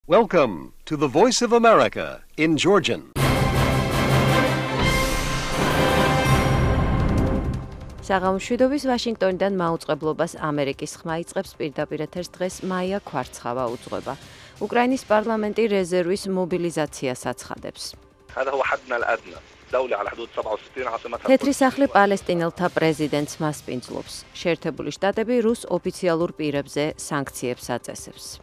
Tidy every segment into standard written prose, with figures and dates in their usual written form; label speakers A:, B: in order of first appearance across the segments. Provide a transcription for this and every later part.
A: Welcome to the Voice of America in Georgian.
B: საღამოშვიდობის ვაშინგტონიდან მაუწყებლობას ამერიკის ხმა იწყებს პირდაპირ ეთერს დღეს მაია ქვარცხავა უძღვება. უკრაინის პარლამენტი რეზერვის მობილიზაციას აცხადებს. თეთრი სახლი პალესტინელთა პრეზიდენტს მასპინძლობს. შეერთებული შტატები რუს ოფიციალურ პირებზე სანქციებს აწესებს.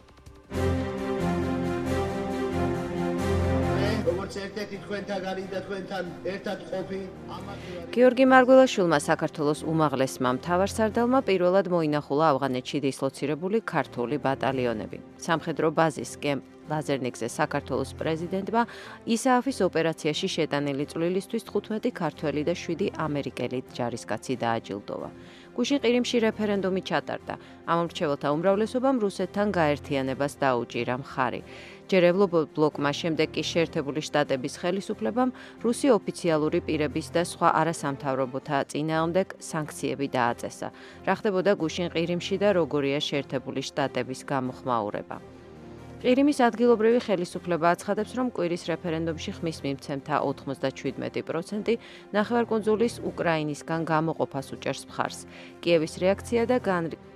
B: გიორგი მარგველაშვილმა საქართველოს უმაღლესმა მთავარსარდალმა პირველად მოინახულა ავღანეთში დისლოცირებული ქართული ბატალიონები. სამხედრო ბაზის კემპ ლაზერნიკზე საქართველოს პრეზიდენტმა ისააფის ოპერაციაში შეტანილი წვლილისთვის 15 ქართველი და 7 ამერიკელი ჯარისკაცი დააჯილდოვა. გუშინ ყირიმში რეფერენდუმი ჩატარდა. ამ მრჩეველთა უმრავლესობამ რუსეთთან გაერთიანებას დაუჭირა მხარი. ჯერევლო ბლოკმა შემდეგ კი შეერთებული შტატების ხელისუფლებამ რუსი ოფიციალური პირების და სხვა არასამთავრობოთა წინააღმდეგ სანქციები დააწესა. რა ხდებოდა გუშინ ყირიმში და როგორია შეერთებული შტატების გამოხმაურება. ყირიმის ადგილობრივი ხელისუფლება აცხადებს, რომ კვირის რეფერენდუმში ხმის მიმცემთა 97% ნახევარკუნძულის უკრაინისგან გამოყოფას უჭერს მხარს. კიევის რეაქცია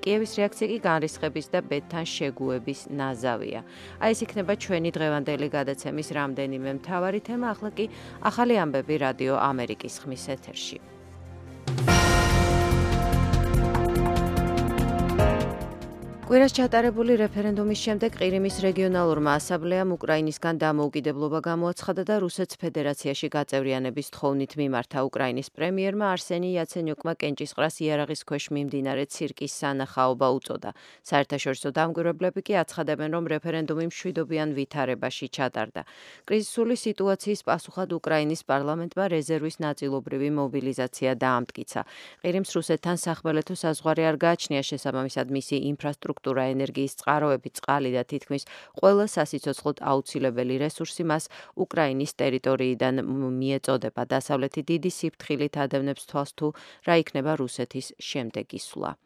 B: კი განრისხების და ბედთან შეგუების ნაზავია. ეს იქნება ჩვენი დღევანდელი გადაცემის რამდენიმე მთავარი თემა, ახლა კი ახალი ამბები რადიო ამერიკის ხმის ეთერში. კვირას ჩატარებული რეფერენდუმის შემდეგ ყირიმის რეგიონალურმა ასამბლეამ უკრაინისგან დამოუკიდებლობა გამოაცხადა და რუსეთის ფედერაციაში გაწევრიანების თხოვნით მიმართა. უკრაინის პრემიერმა არსენი იაცენიუკმა კენჭისყრას იარაღის ქვეშ მიმდინარე ცირკის სანახაობა უწოდა. საერთაშორისო დამკვირვებლები კი აცხადებენ, რომ რეფერენდუმი მშვიდობიან ვითარებაში ჩატარდა. კრიზისული სიტუაციის პასუხად უკრაინის პარლამენტმა რეზერვის ნაწილობრივი მობილიზაცია დაამტკიცა. ყირიმს რუსეთთან სახმელეთო საზღვარი არ გააჩნია, შესაბამისად მისი ინფრასტრუქტურა, ენერგიის წყაროები, წყალი და თითქმის ყველა სასიცოცხლოდ აუცილებელი რესურსი მას უკრაინის ტერიტორიიდან მიეწოდება. დასავლეთი დიდი სიფრთხილით ადევნებს თვალს თუ რა იქნება რუსეთის შემდეგი სვლა.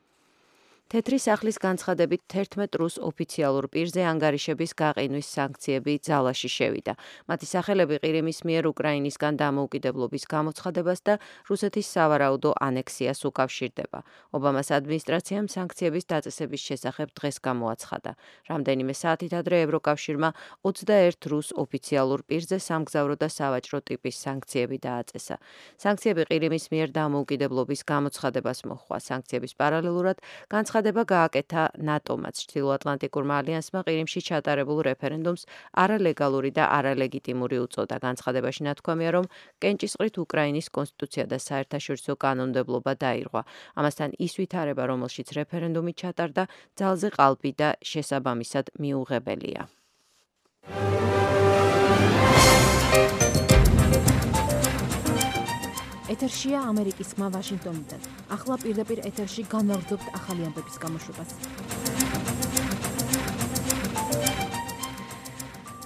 B: თეთრი სახლის განცხადებით 11 რუს ოფიციალურ პირზე ანგარიშების გაყინვის სანქციები ძალაში შევიდა. მათი სახელები ყირიმის მიერ უკრაინისგან დამოუკიდებლობის გამოცხადებას და რუსეთის სავარაუდო ანექსიას უკავშირდება. ობამას ადმინისტრაციამ სანქციების დაწესების შესახებ დღეს გამოაცხადა. რამდენიმე საათით ადრე ევროკავშირმა 21 რუს ოფიციალურ პირზე სამგზავრო და სავაჭრო ტიპის სანქციები დააწესა. სანქციები ყირიმის მიერ დამოუკიდებლობის გამოცხადებას მოჰყვა. სანქციების პარალელურად განცხადება გააკეთა ნატომაც. ჩრდილოატლანტიკურმა ალიანსმა ყირიმში ჩატარებულ რეფერენდუმს არალეგალური და არალეგიტიმური უწოდა. განცხადებაში ნათქვამია, რომ კენჭისყრით უკრაინის კონსტიტუცია და საერთაშორისო კანონმდებლობა დაირღვა. ამასთან ის ვითარება, რომელშიც რეფერენდუმი ჩატარდა, ძალზე ყალბი და შესაბამისად მიუღებელია.
C: ეთერშია ამერიკის ხმა ვაშინგტონიდან. ახლა პირდაპირ ეთერში განვაგრძობთ ახალი ამბების გამოშვებას.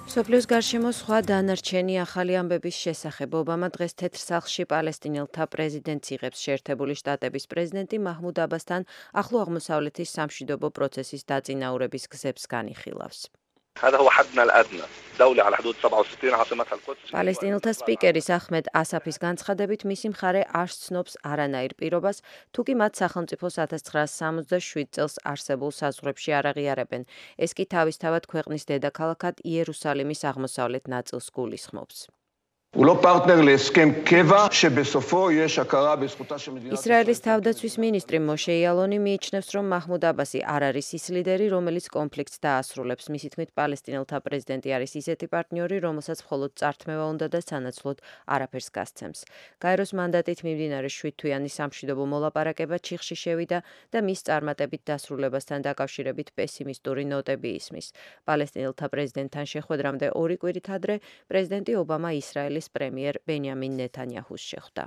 B: მსოფლიოს გარშემო სხვა დანარჩენი ახალი ამბების შესახებ. ობამა დღეს თეთრ სახლში პალესტინელთა პრეზიდენტს იღებს. შეერთებული შტატების პრეზიდენტი მაჰმუდ აბასთან ახლო აღმოსავლეთის სამშვიდობო პროცესის დაწინაურების გზებს განიხილავს. პალესტინელთა სპიკერის აჰმედ ასაფის განცხადებით მისი მხარე არ ცნობს არანაირ პირობას, თუ კი მათ სახელმწიფოს 1967 წელს არსებულ საზღვრებში არ აღიარებენ. ეს კი თავისთავად ქვეყნის დედაქალაქად იერუსალიმის აღმოსავლეთ ნაწილს გულისხმობს. ისრაელის თავდაცვის მინისტრი მოშე იალონი მიიჩნევს, რომ მაჰმუდ აბასი არ არის ის ლიდერი, რომელიც კონფლიქტს დაასრულებს. მისი თქმით, პალესტინელთა პრეზიდენტი არის ისეთი პარტნიორი, რომელსაც მხოლოდ წართმევა უნდა და სანაცვლოდ არაფერს გასცემს. გაეროს მანდატით მიმდინარე 7 თვიანი სამშვიდობო მოლაპარაკება ჩიხში შევიდა და მის წარმატებით დასრულებასთან დაკავშირებით პესიმისტური ნოტები ისმის. პალესტინელთა პრეზიდენტთან შეხვედრამდე 2 კვირით ადრე პრეზიდენტი ობამა ისრაელის პრემიერ ბენიამინ ნეთანიაჰუს შეხვდა.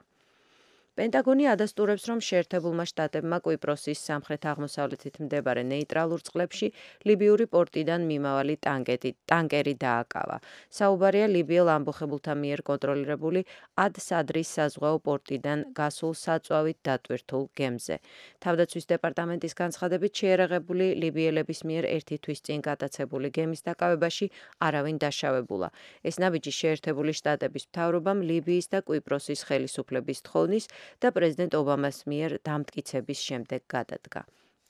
B: პენტაგონი ადასტურებს, რომ შეერთებულმა შტატებმა კვიპროსის სამხრეთ-აღმოსავლეთით მდებარე ნეიტრალურ წყლებში ლიბიური პორტიდან მიმავალი ტანკერი დააკავა. საუბარია ლიბიელ ამბოხებულთა მიერ კონტროლირებული ად-სადრის საზღვაო პორტიდან გასულ საწვავით დატვირთულ გემზე. თავდაცვის დეპარტამენტის განცხადებით შეიარაღებული ლიბიელების მიერ ერთი თვის წინ გატაცებული გემის დაკავებაში არავინ დაშავებულა. ეს ნაბიჯი შეერთებული შტატების მთავრობამ ლიბიის და კვიპროსის ხელისუფლების თხოვნის და პრეზიდენტ ობამას მიერ დამტკიცების შემდეგ გადადგა.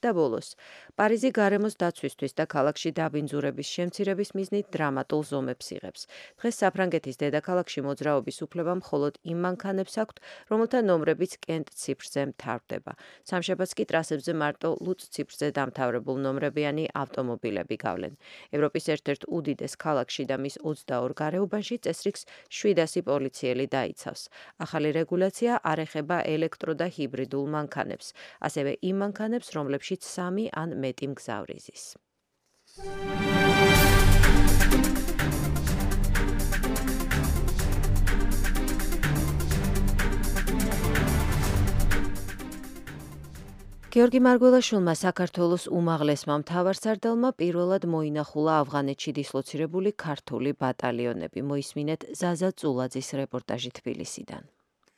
B: და ბოლოს, პარიზი გარემოს დაცვისთვის და ქალაქში დაბინძურების შემცირების მიზნით დრამატულ ზომებს იღებს. დღეს საფრანგეთის დედაქალაქში მოძრაობის უფლება მხოლოდ იმ მანქანებს აქვთ, რომელთა ნომრებიც კენტ ციფრზე მთავრდება. სამშაბათს კი ტრასებზე მარტო ლუც ციფრზე დამთავრებულ ნომრებიანი ავტომობილები გავლენ. ევროპის ერთ-ერთ უდიდეს ქალაქში და მის 22 გარეუბანში წესრიგს 700 პოლიციელი დაიცავს. ახალი რეგულაცია არ ეხება ელექტრო და ჰიბრიდულ მანქანებს, ასევე იმ მანქანებს, რომლებშიც 3 ან მეტი მგზავრი ზის. გიორგი მარგველაშვილმა საქართველოს უმაღლესმა მთავარსარდალმა პირველად მოინახულა ავღანეთში დისლოცირებული ქართული ბატალიონები. მოისმინეთ ზაზა წულაძის რეპორტაჟი თბილისიდან.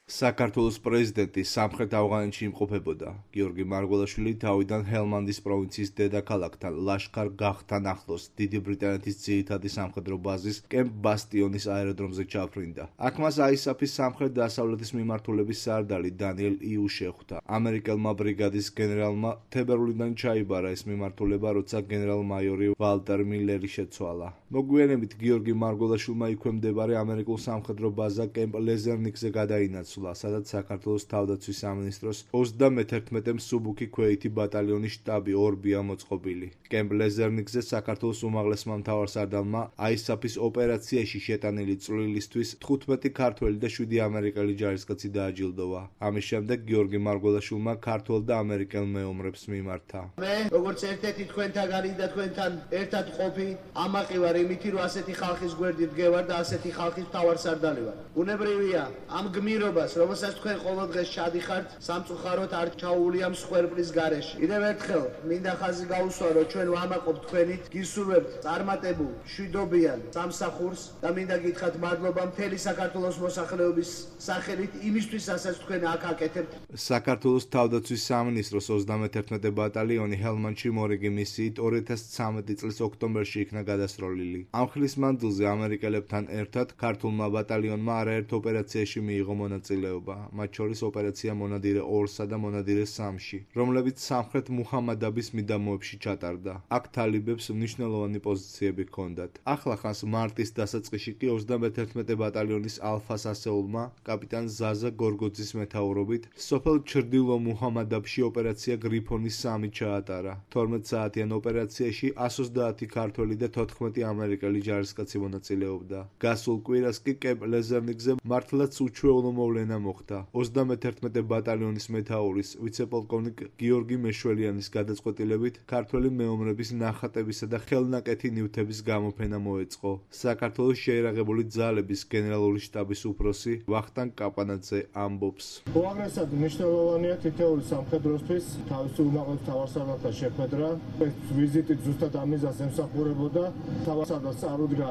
D: საქართველოს პრეზიდენტი სამხრეთ ავღანეთში იმყოფებოდა. გიორგი მარგველაშვილი თავიდან ჰელმანდის პროვინციის დედაქალაქთან ლაშქარ-გაღთან ახლოს დიდი ბრიტანეთის ძირითადი სამხედრო ბაზის კემპ ბასტიონის აეროდრომზე ჩაფრინდა. აქ მას აისაფის სამხრეთ-დასავლეთის მიმართულების სარდალი დანიელ იუ შეხვდა. ამერიკელმა ბრიგადის გენერალმა თებერვლიდან ჩაიბარა ეს მიმართულება, როცა გენერალ-მაიორი ვალტერ მილერი შეცვალა. მოგვიანებით გიორგი მარგველაშვილმა იქვე მდებარე ამერიკულ სამხედრო ბაზა კემპ ლეზერნიკზე გადაინაცვლა, სადაც საქართველოს თავდაცვის სამინისტროს 31 მსუბუქი ქვეითი ბატალიონის შტაბი ორბია მოწყობილი. კემპ ლეზერნიკზე საქართველოს უმაღლესმა მთავარსარდალმა აისაფის ოპერაციაში შეტანილი წვლილისთვის 15 ქართველი და 7 ამერიკელი ჯარისკაცი დააჯილდოვა. ამის შემდეგ გიორგი მარგველაშვილმა ქართველ და ამერიკელ მეომრებს მიმართა.
E: მე, როგორც ერთ-ერთი თქვენთაგანი და თქვენთან ერთად ყოფი, ამაყი ვარ იმითი, რომ ასეთი ხალხის გვერდით დგევარ და ასეთი ხალხის მთავარსარდალი ვარ. უნებრივია ამ გმირობას, რომელსაც თქვენ ყოველდღეს ჩადიხართ, სამწუხაროდ არ ჩაუვლია მსხვერპლის გარეშე. კიდევ ერთხელ მინდა ხაზი გაუსვა, რომ ჩვენ ვამაყობთ თქვენით, გისურვებთ წარმატებულ, მშვიდობიან სამსახურს და მინდა გითხრათ მადლობა მთელი საქართველოს მოსახლეობის სახელით იმისთვის, რასაც თქვენ აქ აკეთებთ.
D: საქართველოს თავდაცვის სამინისტროს 31 ბატალიონი ჰელმანდში მორიგი მისიით 2013 წლის ოქტომბერში იქნა გადასროლილი. ამ ხნის მანძილზე ამერიკელებთან ერთად ქართულმა ბატალიონმა არაერთ ოპერაციაში მიიღო მონაწილეობა, მათ შორის ოპერაცია მონადირე 2-სა და მონადირე 3-ში, რომლებიც სამხრეთ მუჰამადაბის მიდამოებში ჩატარდა. აქ თალიბებს მნიშვნელოვანი პოზიციები ჰქონდათ. ახლახანს მარტის დასაწყისში კი 31 ბატალიონის ალფას ასეულმა კაპიტან ზაზა გორგოძის მეთაურობით სოფელ ჩრდილო მუჰამადაბში ოპერაცია გრიფონი 3 ჩაატარა. 12 საათიან ოპერაციაში 130 ქართველი და 14 ამერიკელი ჯარისკაცი მონაწილეობდა. გასულ კვირას კი კემპ ლეზერნიკზე მართლაც უჩვეულო მოვლენა მოხდა. 31 ბატალიონის მეთაურის ვიცე-პოლკოვნიკ გიორგი მეშველიანის გადაწყვეტილებით ქართველი მეომრების ნახატებისა და ხელნაკეთი ნივთების გამოფენა მოეწყო. საქართველოს შეიარაღებული ძალების გენერალური შტაბის უფროსი ვახტანგ კაპანაძე ამბობს.
F: უაღრესად მნიშვნელოვანია თითოეული სამხედროსთვის თავისი უმაღლეს მთავარსარდალთან შეხვედრა. ეს ვიზიტი ზუსტად ამიზას ემსახურებოდა. მთავარსარდალს წარუდგა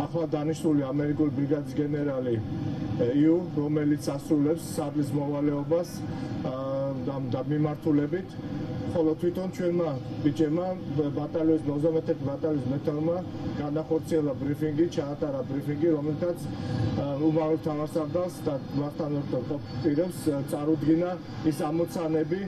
F: ახლა დანიშნული ამერიკული ბრიგადის გენერალი იუ, რომელიც ასრულებს სარდლის მოვალეობას და მიმართულებით, ხოლო თვითონ ჩვენმა ბიჭებმა ბატალიონის 91 ბატალიონის მეთაურმა განახორციელა ბრიფინგი, ჩაატარა ბრიფინგი, რომელთაც უმაღლეს მთავარსარდალს და მასთან ერთად პირებს წარუდგინა ის ამოცანები,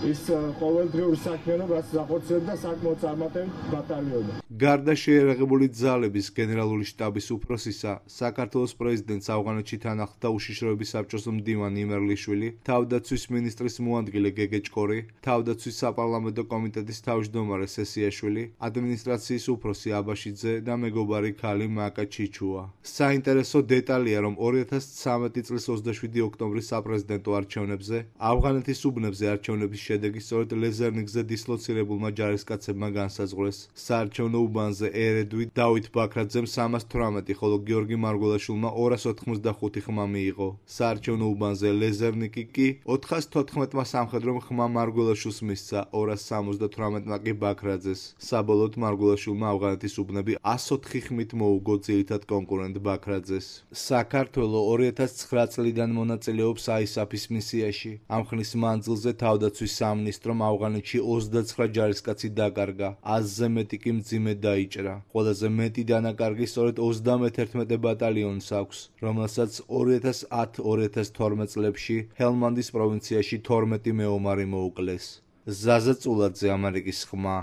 F: ის ყოველდღიური საქმიანობა, რაც ახორციელებდა საკმაოდ წარმატებით ბატალიონი.
D: გარდა შეიარაღებული ძალების გენერალური შტაბის უფროსისა, საქართველოს პრეზიდენტს ავღანეთში თან ახლდა უშიშროების საბჭოს მდივანი იმერლიშვილი, თავდაცვის მინისტრის მოადგილე გეგეჭკორი, თავდაცვის საპარლამენტო კომიტეტის თავმჯდომარე სესიაშვილი, ადმინისტრაციის უფროსი აბაშიძე და მეგობარი ქალი მაკა ჩიჩუა. საინტერესო დეტალია, რომ 2013 წლის 27 ოქტომბრის საპრეზიდენტო არჩევნებზე ავღანეთის უბნებზე არჩევნების შედეგი სწორედ ლეზერნიგზე დისლოცირებულმა ჯარისკაცებმა განსაზღვრეს. საარჩევნო უბანზე ერედვი დავით ბაქრაძემ 318, ხოლო გიორგი მარგველაშვილმა 285 ხმა მიიღო. საარჩევნო უბანზე ლეზერნიკი კი 414-მა სამხედრომ ხმა მარგველაშვილს მისცა, 278-მა კი ბაქრაძეს. საბოლოოდ მარგველაშვილმა ავღანეთის უბნები 104 ხმით მოუგო ძირითად კონკურენტ ბაქრაძეს. საქართველო 2009 წლიდან მონაწილეობს ISAF-ის მისიაში. ამ ხნის მანძილზე თავდაცვის სამინისტრომ ავღანეთში 29 ჯარისკაცი დაკარგა, 100-ზე მეტი კი მძიმედ დაიჭრა. ყველაზე მეტი დანაკარგი სწორედ 31 ბატალიონს აქვს, რომელსაც 2010-2012 წლებში ჰელმანდის პროვინციაში 12 მეომარი მოუკლეს. ზაზა წულაძე, ამერიკის ხმა,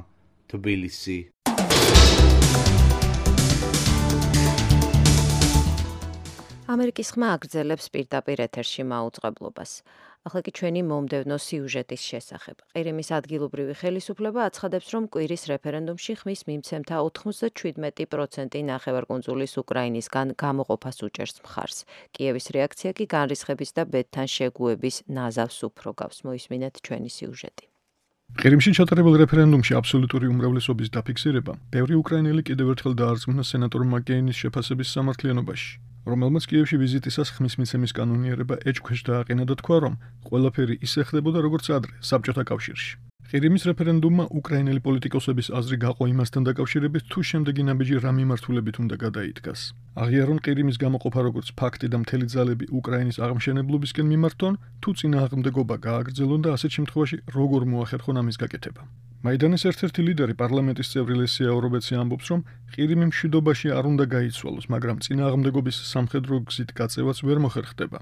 D: თბილისი.
B: ამერიკის ხმა აგრძელებს პირდაპირ ეთერში მაუწყებლობას. ახლა კი ჩვენი მომდევნო სიუჟეტის შესახებ. ყირიმის ადგილობრივი ხელისუფლება აცხადებს, რომ კვირის რეფერენდუმში ხმის მიმცემთა 97% ნახევარკუნძულის უკრაინისგან გამოყოფას უჭერს მხარს. კიევის რეაქცია კი განრისხების და ბედთან შეგუების ნაზავს უფრო გავს. მოისმინეთ ჩვენი სიუჟეტი.
G: ყირიმში ჩატარებულ რეფერენდუმში აბსოლუტური უმრავლესობის დაფიქსირება ბევრი უკრაინელი კიდევ ერთხელ დაარწმუნა სენატორ მაკეინის შეფასების სამართლიანობაში, რომელმაც კიევში ვიზიტისას ხმის მიცემის კანონიერება ეჭქვეშ დააყენა და თქვა, რომ ყველაფერი ისე ხდებოდა, როგორც ადრე, საბჭოთა კავშირში. ყირიმის რეფერენდუმმა უკრაინელი პოლიტიკოსების აზრი გაყო იმასთან დაკავშირებით, თუ შემდეგი ნაბიჯი რა მიმართულებით უნდა გადაიდგას. აღიარონ ყირიმის გამოყოფა როგორც ფაქტი და მთელი ძალები უკრაინის აღმშენებლობისკენ მიმართონ, თუ წინააღმდეგობა გააგრძელონ და ასეთ შემთხვევაში როგორ მოახერხონ ამის გაკეთება. მაიდანის ერთ-ერთი ლიდერი, პარლამენტის წევრი ლესია ორობეცი ამბობს, რომ ყირიმი მშვიდობაში არ უნდა გაიცვალოს, მაგრამ წინააღმდეგობის სამხედრო გზით გაწევაც ვერ მოხერხდება.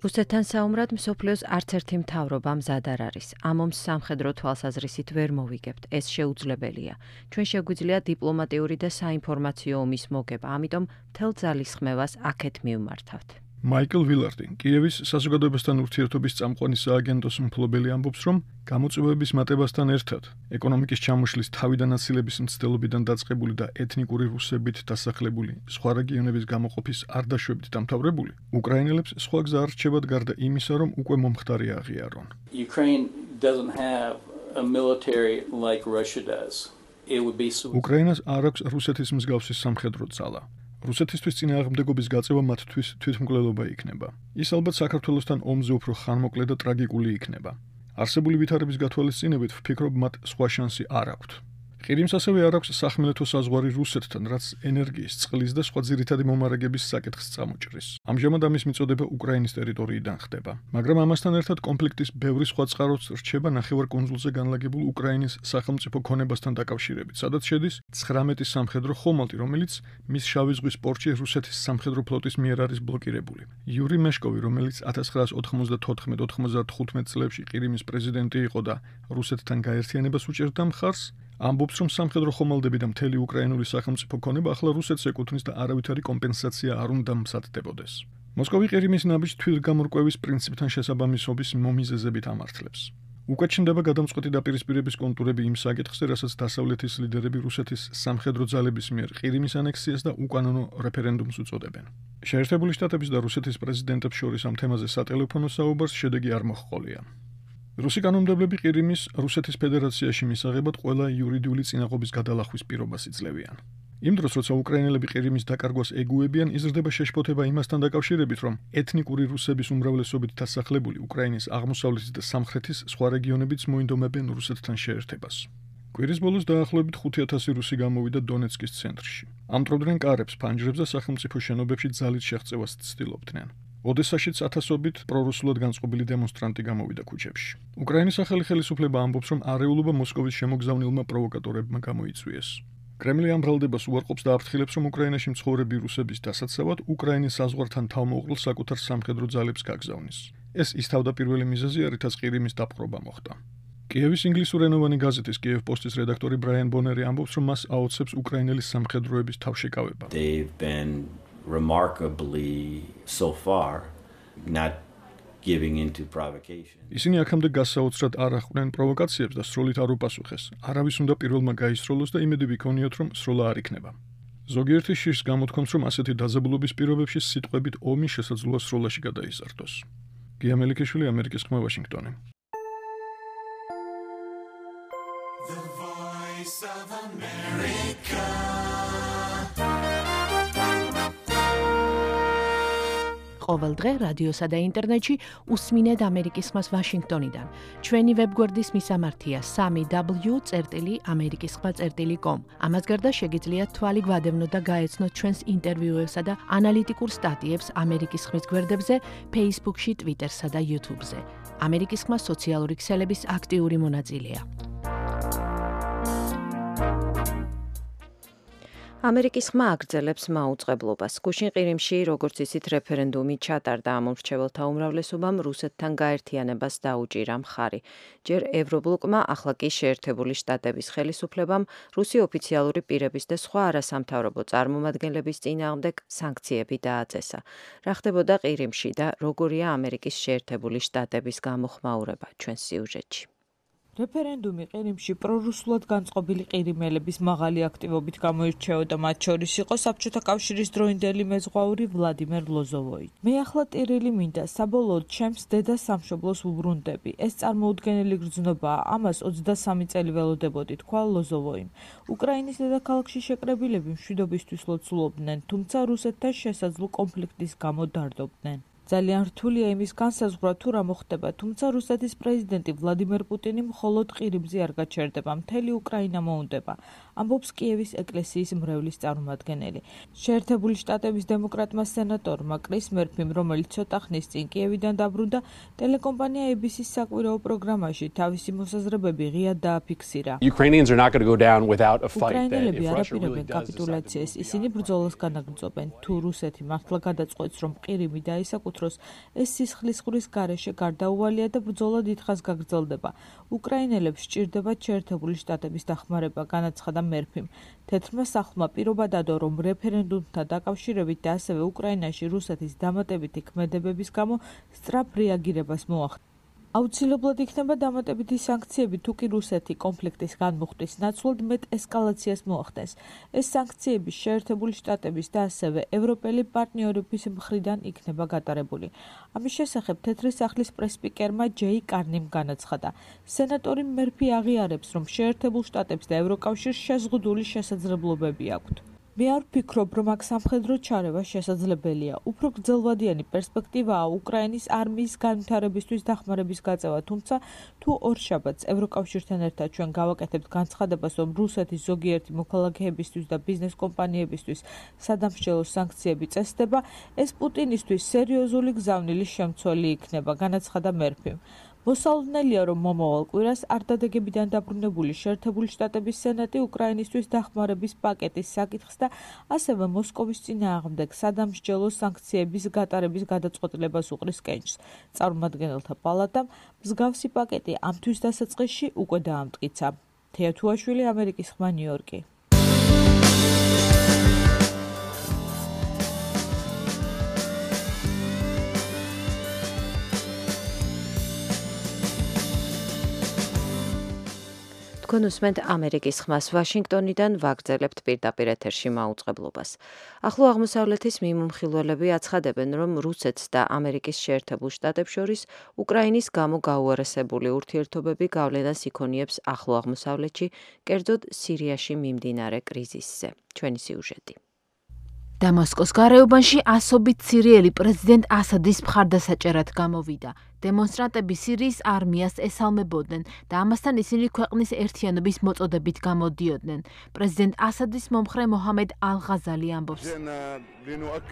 B: რუსეთთან საომრად მსოფლიოს არც ერთი მთავრობა მზად არ არის. ამ ომს სამხედრო თვალსაზრისით ვერ მოვიგებთ. ეს შეუძლებელია. ჩვენ შეგვიძლია დიპლომატიური და საინფორმაციო ომის მოგება, ამიტომ მთელ ძალისხმევას აქეთ მივმართავთ.
G: მაიკლ ვილარდი, კიევის საზოგადოებასთან ურთიერთობის წამყვანი სააგენტოს მფლობელი ამბობს, რომ გამოწვევების მატებასთან ერთად, ეკონომიკის ჩამოშლის თავიდან აცილების მცდელობიდან დაწყებული და ეთნიკური რუსებით დასახლებული სხვა რეგიონების გამოყოფის არ დაშვებით დამთავრებული, უკრაინელებს სხვა გზა არ რჩებათ გარდა იმისა, რომ უკვე მომხდარი აღიარონ. უკრაინას არ აქვს რუსეთის მსგავსი სამხედრო ძალა. რუსეთისთვის წინააღმდეგობის გაწევა მათთვის თვითმკვლელობა იქნება. ის ალბათ საქართველოსთან ომზე უფრო ხანმოკლე და ტრაგიკული იქნება. არსებული ვითარების გათვალისწინებით ვფიქრობ, მათ სხვა შანსი არ აქვთ. ყირიმს ასევე არ აქვს სახმელეთო საზღვარი რუსეთთან, რაც ენერგიის, წყლის და სხვა ძირითადი მომარაგების საკითხს წამოჭრის. ამჟამად ამის მიწოდება უკრაინის ტერიტორიიდან ხდება. მაგრამ ამასთან ერთად კონფლიქტის ბევრი სხვა წყაროც რჩება ნახევარკუნძულზე განლაგებულ უკრაინის სახელმწიფო ქონებასთან დაკავშირებით, სადაც შედის 19 სამხედრო ხომალდი, რომელიც მის შავი ზღვის პორტში რუსეთის სამხედრო ფლოტის მიერ არის ბლოკირებული. იური მეშკოვი, რომელიც 1994-95 წლებში ყირიმის პრეზიდენტი იყო და რუსეთთან გაერთიანებას უჭერდა მხარს, ამბობს, რომ სამხედრო ხომალდები და მთელი უკრაინული სახელმწიფო ქონება ახლა რუსეთს ეკუთვნის და არავითარი კომპენსაცია არ უნდა მზადდებოდეს. მოსკოვი ყირიმის ნაბიჯს თვითგამორკვევის პრინციპთან შესაბამისობის მომიზეზებით ამართლებს. უკვე ჩნდება გადამწყვეტი დაპირისპირების კონტურები იმ საკითხზე, რასაც დასავლეთის ლიდერები რუსეთის სამხედრო ძალების მიერ ყირიმის ანექსიას და უკანონო რეფერენდუმს უწოდებენ. შეერთებული შტატების და რუსეთის პრეზიდენტებს შორის ამ თემაზე სატელეფონო საუბარს შედეგი არ მოჰყოლია. რუსი კანონმდებლები ყირიმის რუსეთის ფედერაციაში მისაღებად ყველა იურიდიული წინაღობის გადალახვის პირობას იძლევიან. იმ დროს, როცა უკრაინელები ყირიმის დაკარგვას ეგუებიან, იზრდება შეშფოთება იმასთან დაკავშირებით, რომ ეთნიკური რუსების უმრავლესობით დასახლებული უკრაინის აღმოსავლეთის და სამხრეთის სხვა რეგიონებიც მოინდომებენ რუსეთთან შეერთებას. კვირის ბოლოს დაახლოებით 5000 რუსი გამოვიდა დონეცკის ცენტრში. ამტვრობდნენ კარებს, ფანჯრებს და სახელმწიფო შენობებში ძალით შეღწევას ცდილობდნენ. ოდესაშიც ათასობით პრორუსულად განწყობილი დემონსტრანტი გამოვიდა ქუჩებში. უკრაინის ახალი ხელისუფლება ამბობს, რომ არეულობა მოსკოვის შემოგზავნილმა პროვოკატორებმა გამოიწვიეს. კრემლი ამ ბრალდებას უარყოფს და აფრთხილებს, რომ უკრაინაში მცხოვრები რუსების დასაცავად უკრაინის საზღვართან თავმოყრილ საკუთარ სამხედრო ძალებს გაგზავნის. ეს ის თავდაპირველი მიზეზია, რითაც ყირიმის დაპყრობა მოხდა. კიევის ინგლისურენოვანი გაზეთის კიევ პოსტის რედაქტორი ბრაიან ბონერი ამბობს, რომ მას აოცებს უკრაინელი სამხედროების თავშეკავება.
H: Remarkably so far not giving into provocation.
G: ისინი აქამდე გასაოცრად არ ახვდნენ პროვოკაციებს და სროლით არ უპასუხეს. არავის უნდა პირველმა გაისროლოს და იმედები ქონიოთ, რომ სროლა არ იქნება. ზოგიერთი შიშს გამოთქვამს, რომ ასეთი დაძაბულობის პირობებში სიტყვებით ომი შესაძლოა სროლაში გადაიზარდოს. გია მელიქიშვილი, ამერიკის ხმა, ვაშინგტონი.
C: ყოველ დღე რადიოსა და ინტერნეტში უსმინეთ ამერიკის ხმას ვაშინგტონიდან. ჩვენი ვებგვერდის მისამართია 3w.amerikiskhma.com. ამას გარდა შეგიძლიათ თვალი გვადევნოთ და გაეცნოთ ჩვენს ინტერვიუებსა და ანალიტიკურ სტატიებს ამერიკის ხმის გვერდებზე, Facebook-ში, Twitter-სა და YouTube-ზე. ამერიკის ხმა სოციალური ქსელების აქტიური მონაწილეა.
B: ამერიკის ხმა აგრძელებს მაუწყებლობას. გუშინ ყირიმში, როგორც იცით, რეფერენდუმი ჩატარდა ამ უმრჩეველთა უმრავლესობამ რუსეთთან გაერთიანებას დაუჭირა მხარი. ჯერ ევრობლოკმა, ახლა კი შეერთებული შტატების ხელისუფლებამ რუსი ოფიციალური პირების და სხვა არასამთავრობო წარმომადგენლების წინააღმდეგ სანქციები დააწესა. რა ხდებოდა ყირიმში და როგორია ამერიკის შეერთებული შტატების გამოხმაურება ჩვენს სიუჟეტში.
I: რეფერენდუმი ყირიმში პრორუსულად განწყობილი ყირიმელების მაღალი აქტივობით გამოირჩეოდა, მათ შორის იყო საბჭოთა კავშირის დროინდელი მეზღვაური ვლადიმერ ლოზოვოი. მე ახლა ტირილი მინდა, საბოლოოდ ჩემს დედა სამშობლოს ვუბრუნდები. ეს წარმოუდგენელი გრძნობაა, ამას 23 წელი ველოდებოდი, თქვა ლოზოვოიმ. უკრაინის დედაქალაქში შეკრებილები მშვიდობისთვის ლოცულობდნენ, თუმცა რუსეთთან შესაძლო კონფლიქტის გამო დარდობდნენ. ძალიან რთულია იმის განსაზღვრა თუ რა მოხდება, თუმცა რუსეთის პრეზიდენტი ვლადიმერ პუტინი მხოლოდ ყირიმზე არ გაჩერდება, მთელი უკრაინა მოუნდება, ამბობს კიევის ეკლესიის მრევლის წარმომადგენელი. შეერთებული შტატების დემოკრატმა სენატორმა კრის მერფიმ, რომელიც ცოტა ხნის წინ კიევიდან დაბრუნდა, ტელეკომპანია ABC-ს საკვირაო პროგრამაში თავისი მოსაზრებები ღიად დააფიქსირა. უკრაინელები არ აპირებენ კაპიტულაციას, ისინი ბრძოლას განაგრძობენ. თუ რუსეთი მართლა გადაწყვეტს, რომ ყირიმი დაისაკუთროს, ეს სისხლისღვრის გარეშე გარდაუვალია და ბრძოლა დიდხანს გაგრძელდება. უკრაინელებს სჭირდებათ შეერთებული შტატების დახმარება, განაცხადა მერფიმ. თეთრმა სახლმა პირობა დადო, რომ რეფერენდუმთან დაკავშირებით და ასევე უკრაინაში რუსეთის დამატებითი ქმედებების გამო სწრაფ რეაგირებას მოახდინა. აუცილებლად იქნება დამატებითი სანქციები, თუ კი რუსეთი კონფლიქტის განმუხტვის ნაცვლად მეტ ესკალაციას მოახდენს. ეს სანქციები შეერთებული შტატების და ასევე ევროპელი პარტნიორების მხრიდან იქნება გატარებული. ამის შესახებ თეთრი სახლის პრესპიკერმა ჯეი კარნიმ განაცხადა. სენატორი მერფი აღიარებს, რომ შეერთებულ შტატებს და ევროკავშირს შეზღუდული შესაძლებლობები აქვთ. მე არ ვფიქრობ, რომ აქ სამხედრო ჩარევა შესაძლებელია. უფრო გრძელვადიანი პერსპექტივაა უკრაინის არმიის განვითარებისთვის დახმარების გაწევა, თუმცა თუ ორშაბათს ევროკავშირთან ერთად ჩვენ გავაკეთებთ განცხადებას, რომ რუსეთის ზოგიერთი მოქალაქეებისთვის და ბიზნეს კომპანიებისთვის სადამსჯელო სანქციები წესდება, ეს პუტინისთვის სერიოზული გზავნილის შემცველი იქნება, განაცხადა მერფიმ. მოსალოდნელია, რომ მომავალ კვირას არ დადეგებიდან დაბრუნებული შეერთებული შტატების სენატი უკრაინისთვის დახმარების პაკეტის საკითხს და ასევე მოსკოვის წინააღმდეგ სადამსჯელო სანქციების გატარების გადაწყვეტილებას უყრის კენჭს. წარმომადგენელთა პალატამ მსგავსი პაკეტი ამ თვის დასაწყისში უკვე დაამტკიცა. თეა თუაშვილი, ამერიკის ხმა, ნიუ-იორკი.
B: თქვენ უსმენთ ამერიკის ხმას, ვაშინგტონიდან ვაგრძელებთ პირდაპირ ეთერში მაუწყებლობას. ახლო აღმოსავლეთის მიმომხილველები აცხადებენ, რომ რუსეთს და ამერიკის შეერთებულ შტატებს შორის უკრაინის გამო გაუარესებული ურთიერთობები გავლენას იქონიებს ახლო აღმოსავლეთში, კერძოდ სირიაში მიმდინარე კრიზისზე. ჩვენი სიუჟეტი.
C: დამასკოს გარეუბანში ასობით სირიელი პრეზიდენტ ასადის მხარდასაჭერად გამოვიდა. დემონსტრანტები სირიის არმიას ესალმებოდნენ და ამასთან ისინი ქვეყნის ერთიანობის მოწოდებით გამოდიოდნენ. პრეზიდენტ ასადის მომხრე მოჰამედ ალ-ღაზალი ამბობს.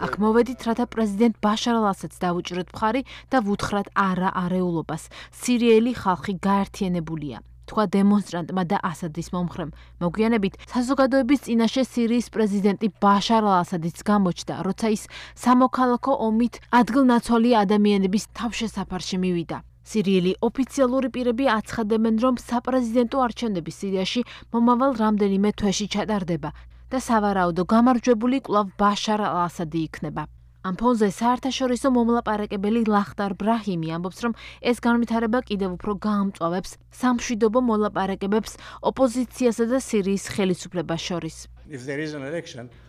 C: აქ მოვედით, რათა პრეზიდენტ ბაშარ ალ-ასადს დავუჭიროთ მხარი და ვუთხრათ არა არეულობას. სირიელი ხალხი გაერთიანებულია. თქვა დემონსტრანტმა და ასადის მომხრემ. მოგვიანებით საზოგადოების წინაშე სირიის პრეზიდენტი ბაშარ ალ-ასადიც გამოჩნდა, როცა ის სამოქალაქო ომით ადგილნაცვალი ადამიანების თავშესაფარში მივიდა. სირიელი ოფიციალური პირები აცხადებენ, რომ საპრეზიდენტო არჩევნები სირიაში მომავალ რამდენიმე თვეში ჩატარდება და სავარაუდო გამარჯვებული კვლავ ბაშარ ალ-ასადი იქნება. ამ ფონზე საერთაშორისო მომლაპარაკებელი ლახტარ ბრაჰიმი ამბობს, რომ ეს განვითარება კიდევ უფრო გაამწვავებს სამშვიდობო მოლაპარაკებებს ოპოზიციასა და სირიის ხელისუფლებას შორის.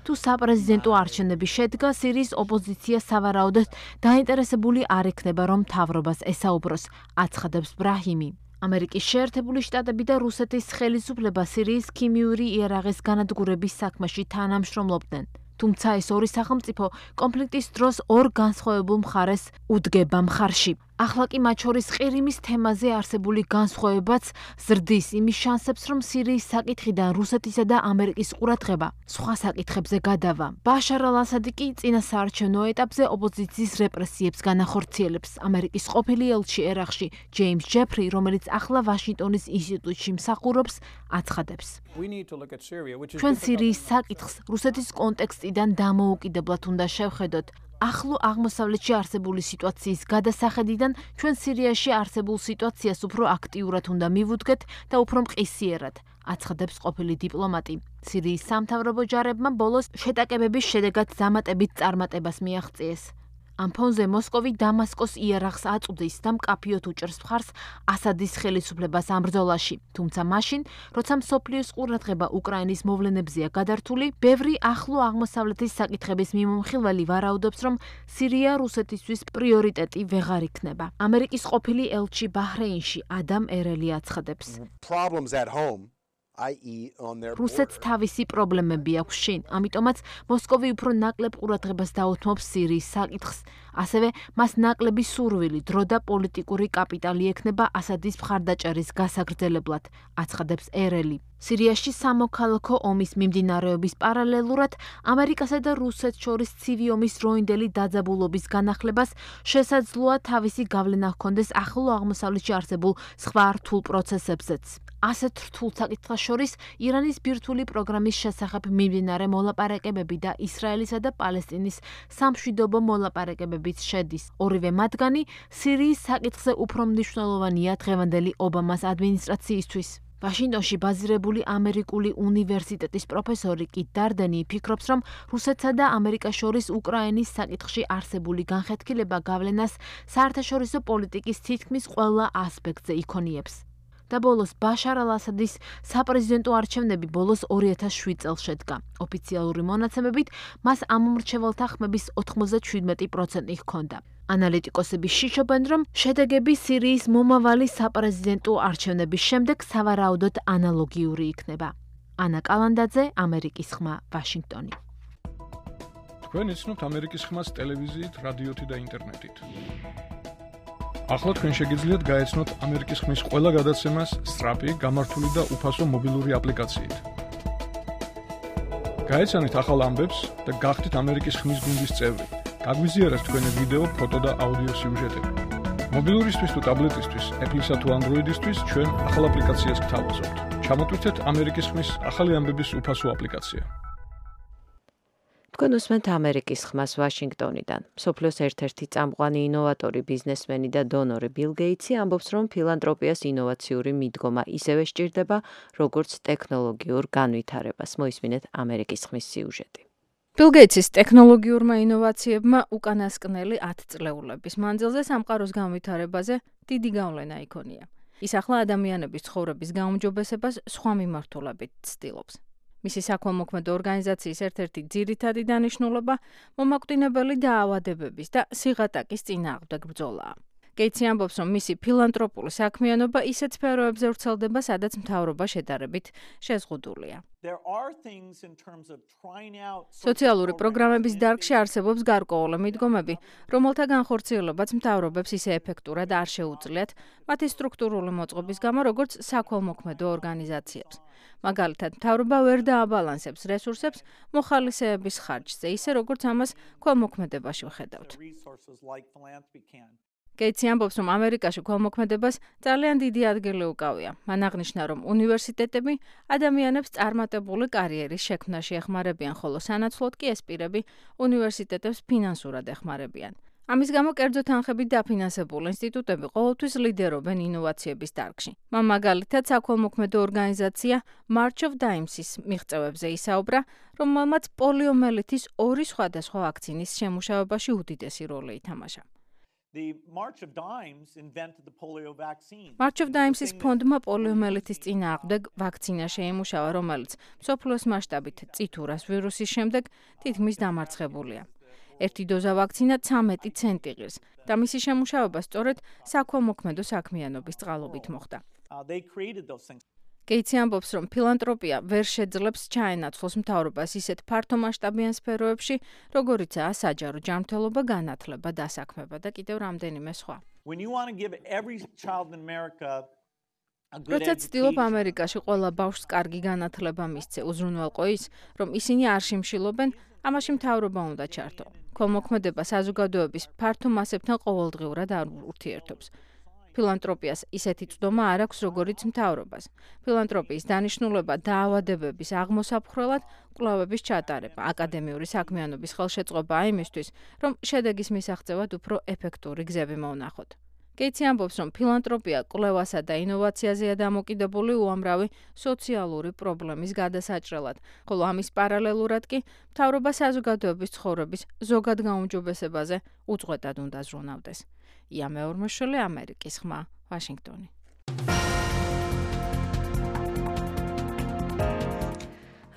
C: თუ საპრეზიდენტო არჩევნები შედგა, სირიის ოპოზიცია სავარაუდოდ დაინტერესებული არ ექნება, რომ მთავრობას ესაუბროს, აცხადებს ბრაჰიმი. ამერიკის შეერთებული შტატები და რუსეთის ხელისუფლება სირიის ქიმიური იარაღის განადგურების საქმეში თანამშრომლობდნენ. თუმცა ეს ორი სახელმწიფო კონფლიქტის დროს ორ განსხვავებულ მხარეს უდგება მხარში. ახლა კი მათ შორის ყირიმის თემაზე არსებული განსხვავებაც ზრდის იმის შანსებს, რომ სირიის საკითხიდან რუსეთისა და ამერიკის ყურადღება სხვა საკითხებზე გადავა. ბაშარ ალ-ასადი კი წინა საარჩევნო ეტაპზე ოპოზიციის რეპრესიებს განახორციელებს. ამერიკის ყოფილი ელჩი ერაყში ჯეიმს ჯეფრი, რომელიც ახლა ვაშინგტონის ინსტიტუტში მსახურობს, აცხადებს. ჩვენ სირიის საკითხს რუსეთის კონტექსტიდან დამოუკიდებლად უნდა შევხედოთ. ახლო აღმოსავლეთში არსებული სიტუაციის გადასახედიდან ჩვენ სირიაში არსებულ სიტუაციას უფრო აქტიურად უნდა მივუდგეთ და უფრო მყისიერად, აცხადებს ყოფილი დიპლომატი. სირიის სამთავრობო ჯარებმა ბოლოს შეტაკებების შედეგად დამატებით წარმატებას მიაღწიეს. ამ ფონზე მოსკოვი დამასკოს იარაღს აწვდის და მკაფიოდ უჭერს მხარს ასადის ხელისუფლებას ამ ბრძოლაში. თუმცა მაშინ, როცა მსოფლიოს ყურადღება უკრაინის მოვლენებზეა გადართული, ბევრი ახლო აღმოსავლეთის საკითხების მიმომხილველი ვარაუდობს, რომ სირია რუსეთისთვის პრიორიტეტი ვეღარ იქნება. ამერიკის ყოფილი ელჩი ბაჰრეინში ადამ ერელი აცხადებს. რუსეთს თავისი პრობლემები აქვს შინ, ამიტომაც მოსკოვი უფრო ნაკლებ ყურადღებას დაუთმობს სირიის საკითხს. ასევე მას ნაკლები სურვილი, დრო და პოლიტიკური კაპიტალი ექნება ასადის მხარდაჭერის გასაგრძელებლად, აცხადებს ერელი. სირიაში სამოქალაქო ომის მიმდინარეობის პარალელურად ამერიკასა და რუსეთს შორის ცივი ომის დროინდელი დაძაბულობის განახლებას შესაძლოა თავისი გავლენა ჰქონდეს ახლო აღმოსავლეთში არსებულ სხვა რთულ პროცესებზეც. ასეთ რთულ საკითხებს შორის ირანის ბირთვული პროგრამის შესახებ მიმდინარე მოლაპარაკებები და ისრაელისა და პალესტინის სამშვიდობო მოლაპარაკებებიც შედის. ორივე მათგანი სირიის საკითხზე უფრო მნიშვნელოვანია დღევანდელი ობამას ადმინისტრაციისთვის. ვაშინგტონში ბაზირებული ამერიკული უნივერსიტეტის პროფესორი კით დარდენი ფიქრობს, რომ რუსეთსა და ამერიკას შორის უკრაინის საკითხში არსებული განხეთქილება გავლენას საერთაშორისო პოლიტიკის თითქმის ყველა ასპექტზე იქონიებს. და ბოლოს ბაშარ ალ-ასადის საპრეზიდენტო არჩევნები ბოლოს 2007 წელს შედგა. ოფიციალური მონაცემებით მას ამომრჩეველთა ხმების 97% ჰქონდა. ანალიტიკოსები შიშობენ, რომ შედეგები სირიის მომავალი საპრეზიდენტო არჩევნების შემდეგ სავარაუდოდ ანალოგიური იქნება. ანა კალანდაძე, ამერიკის ხმა, ვაშინგტონი.
G: თქვენ იცნობთ ამერიკის ხმას ტელევიზიით, რადიოთი და ინტერნეტით. ახლა თქვენ შეგიძლიათ გაეცნოთ ამერიკის ხმის ყველა გადაცემას სწრაფი, გამართული და უფასო მობილური აპლიკაციით. გაეცანით ახალ ამბებს და გახდით ამერიკის ხმის გუნდის წევრი. გაგვიზიარეთ თქვენი ვიდეო, ფოტო და აუდიო სიუჟეტები. მობილურისთვის თუ ტაბლეტისთვის, Apple-ისა თუ Android-ისთვის ჩვენ ახალ აპლიკაციას გთავაზობთ. ჩამოტვირთეთ ამერიკის ხმის ახალი ამბების უფასო აპლიკაცია.
B: თქვენ უსმენთ ამერიკის ხმას ვაშინგტონიდან. მსოფლიოს ერთ-ერთი წამყვანი ინოვატორი, ბიზნესმენი და დონორი ბილ გეიტსი ამბობს, რომ ფილანტროპიას ინოვაციური მიდგომა ისევე სჭირდება, როგორც ტექნოლოგიურ განვითარებას. მოისმინეთ ამერიკის ხმის სიუჟეტი.
J: ბილ გეიტსის ტექნოლოგიურმა ინოვაციებმა უკანასკნელი 10 წლეულების მანძილზე სამყაროს განვითარებაზე დიდი გავლენა იქონია. ის ახლა ადამიანების ცხოვრების გაუმჯობესებას სხვა მიმართულებით ცდილობს. მისი საქველმოქმედო ორგანიზაციის ერთ-ერთი ძირითადი დანიშნულება მომაკვდინებელი დაავადებების და სიღატაკის წინააღმდეგ ბრძოლაა. გეიტსი ამბობს, რომ მისი ფილანტროპული საქმიანობა ისეთ სფეროებზე ვრცელდება, სადაც მთავრობა შედარებით შეზღუდულია. სოციალური პროგრამების დარგში არსებობს გარკვეული მიდგომები, რომელთა განხორციელებაც მთავრობებს ისე ეფექტურად არ შეუძლიათ მათი სტრუქტურული მოწყობის გამო, როგორც საქველმოქმედო ორგანიზაციებს. მაგალითად, მთავრობა ვერ დააბალანსებს რესურსებს მოხალისეების ხარჯზე, ისე როგორც ამას ქველმოქმედებაში ვხედავთ. გეიტსი ამბობს, რომ ამერიკაში ქველმოქმედებას ძალიან დიდი ადგილი უკავია. მან აღნიშნა, რომ უნივერსიტეტები ადამიანებს წარმატებული კარიერის შექმნაში ეხმარებიან, ხოლო სანაცვლოდ კი ეს პირები უნივერსიტეტებს ფინანსურად ეხმარებიან. ამის გამო კერძო თანხებით დაფინანსებული ინსტიტუტები ყოველთვის ლიდერობენ ინოვაციების დარგში. მან მაგალითად საქველმოქმედო ორგანიზაცია March of Dimes-ის მიღწევებზე ისაუბრა, რომელმაც პოლიომიელიტის 2 სხვადასხვა ვაქცინის შემუშავებაში უდიდესი როლი ითამაშა. March of Dimes-ის ფონდმა პოლიომიელიტის წინააღმდეგ ვაქცინა შეიმუშავა, რომელიც მსოფლიოს მასშტაბით წითურას ვირუსის შემდეგ თითქმის დამარცხებულია. ერთი დოზა ვაქცინა 13 ცენტი ღირს და მისი შემუშავება სწორედ საქველმოქმედო საქმიანობის წყალობით მოხდა. გეიცი ამბობს, რომ ფილანტროპია ვერ შეძლებს ჩაენაცვლოს მთავრობას ისეთ ფართომასშტაბიან სფეროებში, როგორიცაა საჯარო ჯანმრთელობა, განათლება, დასაქმება და კიდევ რამდენიმე სხვა. როცა ცდილობ ამერიკაში ყველა ბავშვს კარგი განათლება მისცე, უზრუნველყო ის, რომ ისინი არ შიმშილობენ, ამაში მთავრობა უნდა ჩართო. ქველმოქმედება საზოგადოების ფართო მასებთან ყოველდღიურად არ ურთიერთობს. ფილანტროპიას ისეთი წვდომა არ აქვს, როგორიც მთავრობას. ფილანტროპიის დანიშნულება დაავადებების აღმოსაფხრელად კვლევების ჩატარება, აკადემიური საქმიანობის ხელშეწყობაა იმისთვის, რომ შედეგის მისაღწევად უფრო ეფექტური გზები მოვნახოთ. გეიცი ამბობს, რომ ფილანტროპია კვლევასა და ინოვაციაზეა დამოკიდებული უამრავი სოციალური პრობლემის გადასაჭრელად, ხოლო ამის პარალელურად კი მთავრობა საზოგადოების ცხოვრების ზოგად გაუმჯობესებაზე უწყვეტად უნდა ზრუნავდეს. ია მეორმოშვილი, ამერიკის ხმა, ვაშინგტონი.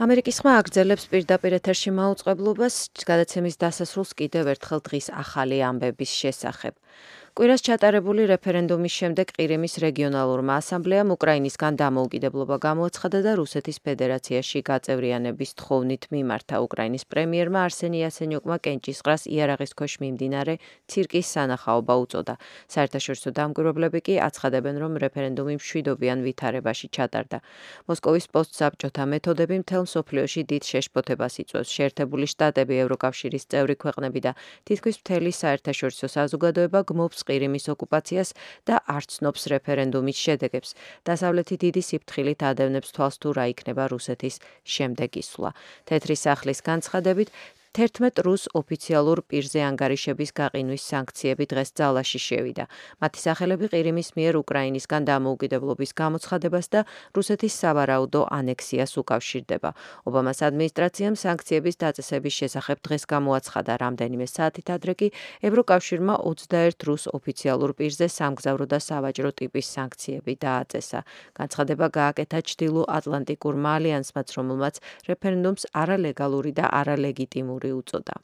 B: ამერიკის ხმა აგრძელებს პირდაპირ ეთერში მაუწყებლობას გადაცემის დასასრულს კიდევ ერთხელ დღის ახალი ამბების შესახებ. კვირას ჩატარებული რეფერენდუმის შემდეგ ყირიმის რეგიონალურმა ასამბლეამ უკრაინისგან დამოუკიდებლობა გამოაცხადა და რუსეთის ფედერაციაში გაწევრიანების თხოვნით მიმართა. უკრაინის პრემიერმა არსენი იაცენიუკმა კენჭისყრას იარაღის ქვეშ მიმდინარე ცირკის სანახაობა უწოდა. საერთაშორისო დამკვირვებლები კი აცხადებენ, რომ რეფერენდუმი მშვიდობიან ვითარებაში ჩატარდა. მოსკოვის პოსტსაბჭოთა მეთოდები მთელ მსოფლიოში დიდ შეშფოთებას იწვევს. შეერთებული შტატები, ევროკავშირის წევრი ქვეყნები და თითქმის მთელი საერთაშორისო საზოგადოება გმობს ყირიმის ოკუპაციას და არ ცნობს რეფერენდუმის შედეგებს. დასავლეთი დიდი სიფრთხილით ადევნებს თვალს თუ რა იქნება რუსეთის შემდეგი სვლა. თეთრი სახლის განცხადებით 11 რუს ოფიციალურ პირზე ანგარიშების გაყინვის სანქციები დღეს ძალაში შევიდა. მათი სახელები ყირიმის მიერ უკრაინისგან დამოუკიდებლობის გამოცხადებას და რუსეთის სავარაუდო ანექსიას უკავშირდება. ობამას ადმინისტრაციამ სანქციების დაწესების შესახებ დღეს გამოაცხადა. რამდენიმე საათით ადრე კი ევროკავშირმა 21 რუს ოფიციალურ პირზე სამგზავრო და სავაჭრო ტიპის სანქციები დააწესა. განცხადება გააკეთა ჩრდილო-ატლანტიკურმა ალიანსმაც, რომელმაც რეფერენდუმს არალეგალური და არალეგიტიმური უწოდა.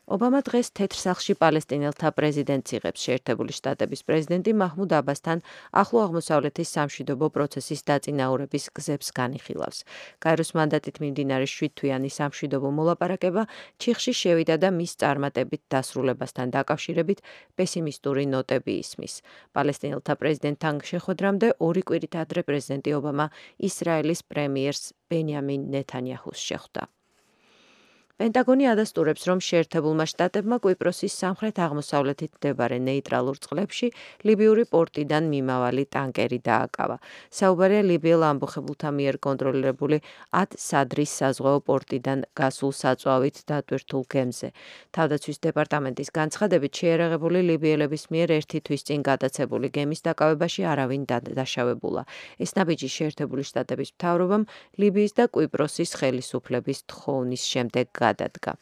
B: ობამა დღეს თეთრ სახლში პალესტინელთა პრეზიდენტს იღებს. შეერთებული შტატების პრეზიდენტი მაჰმუდ აბასთან ახლო აღმოსავლეთის სამშვიდობო პროცესის დაწინაურების გზებს განიხილავს. გაეროს მანდატით მიმდინარე 7 თვიანი სამშვიდობო მოლაპარაკება ჩიხში შევიდა და მის წარმატებით დასრულებასთან დაკავშირებით პესიმისტური ნოტები ისმის. პალესტინელთა პრეზიდენტთან შეხვედრამდე 2 კვირით ადრე პრეზიდენტი ობამა ისრაელის პრემიერს ბენიამინ ნეთანიაჰუს შეხვდა. პენტაგონი ადასტურებს, რომ შეერთებულმა შტატებმა კვიპროსის სამხრეთ-აღმოსავლეთით მდებარე ნეიტრალურ წყლებში ლიბიური პორტიდან მიმავალი ტანკერი დააკავა. საუბარია ლიბიელ ამბოხებულთა მიერ კონტროლირებული ად-სადრის საზღვაო პორტიდან გასულ საწვავით დატვირთულ გემზე. თავდაცვის დეპარტამენტის განცხადებით, შეიარაღებული ლიბიელების მიერ 1 თვის წინ გადაცებული გემის დაკავებაში არავინ დაშავებულა. ეს ნაბიჯი შეერთებული შტატების მთავრობამ ლიბიის და კვიპროსის ხელისუფლების თხოვნის შემდეგ გადადგა.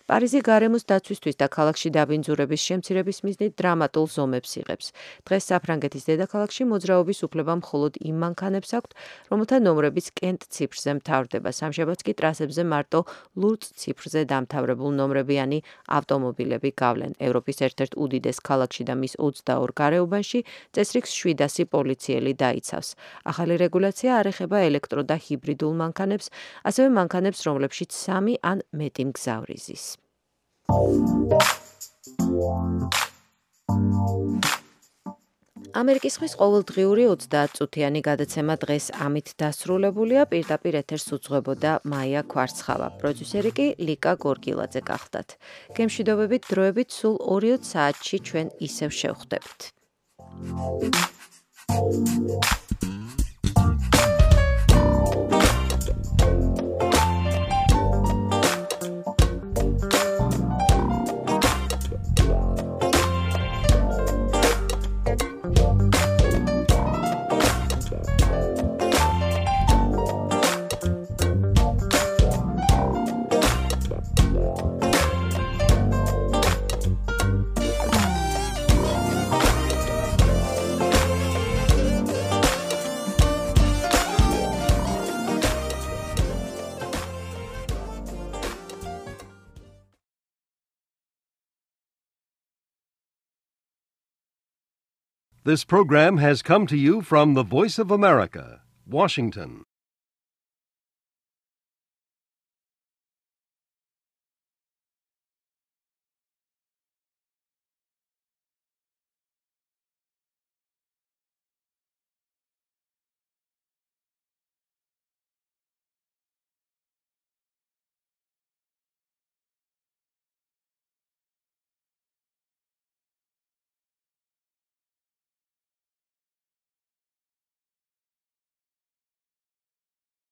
B: პარიზი გარემოს დაცვისთვის და ქალაქში დაბინძურების შემცირების მიზნით დრამატულ ზომებს იღებს. დღეს საფრანგეთის დედაქალაქში მოძრაობის უფლება მხოლოდ იმ მანქანებს აქვთ, რომელთა ნომრებიც კენტ ციფრზე მთავრდება. სამშაბათს კი ტრასებზე მარტო ლურც ციფრზე დამთავრებულ ნომრებიანი ავტომობილები გავლენ. ევროპის ერთ-ერთ უდიდეს ქალაქში და მის 22 გარეუბანში წესრიგს 700 პოლიციელი დაიცავს. ახალი რეგულაცია არ ეხება ელექტრო და ჰიბრიდულ მანქანებს, ასევე მანქანებს, რომლებშიც 3 ან მეტი მგზავრი ზის. ამერიკის ხმის ყოველდღიური 30 წუთიანი გადაცემა დღეს ამით დასრულებულია. პირდაპირ ეთერს უძღვებოდა მაია ქვარცხავა. პროდიუსერი კი ლიკა გორგილაძე გახლდათ. გემშვიდობებით, დროებით სულ 2 საათში ჩვენ ისევ შევხვდებით.
A: This program has come to you from the Voice of America, Washington.